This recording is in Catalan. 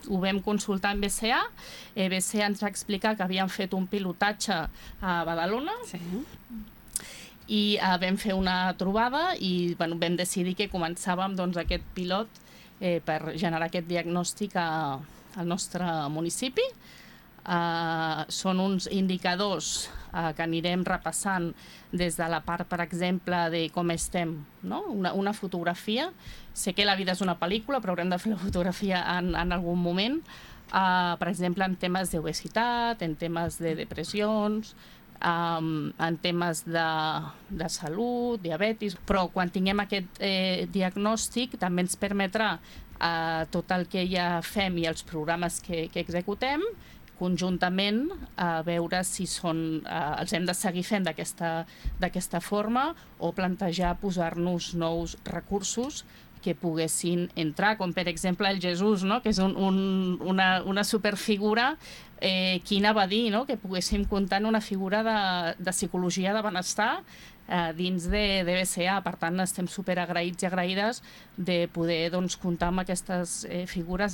ho vam consultar amb BCA. BCA ens va explicar que havien fet un pilotatge a Badalona. Sí. I vam fer una trobada i vam decidir que començàvem aquest pilot per generar aquest diagnòstic al nostre municipi. Són uns indicadors que anirem repassant des de la part, per exemple, de com estem, no? Una fotografia. Sé que la vida és una pel·lícula, però haurem de fer la fotografia en algun moment. Per exemple, en temes d'obesitat, en temes de depressions, en temes de salut, diabetis, però quan tinguem aquest diagnòstic també ens permetrà tot el que ja fem i els programes que executem conjuntament a veure si els hem de seguir fent d'aquesta forma o plantejar posar-nos nous recursos que poguessin entrar, com per exemple el Jesús, no? Que és una superfigura. Qui anava a dir, no? Que poguéssim comptar en una figura de psicologia de benestar dins de BCA. Per tant, estem superagraïts i agraïdes de poder comptar amb aquestes figures de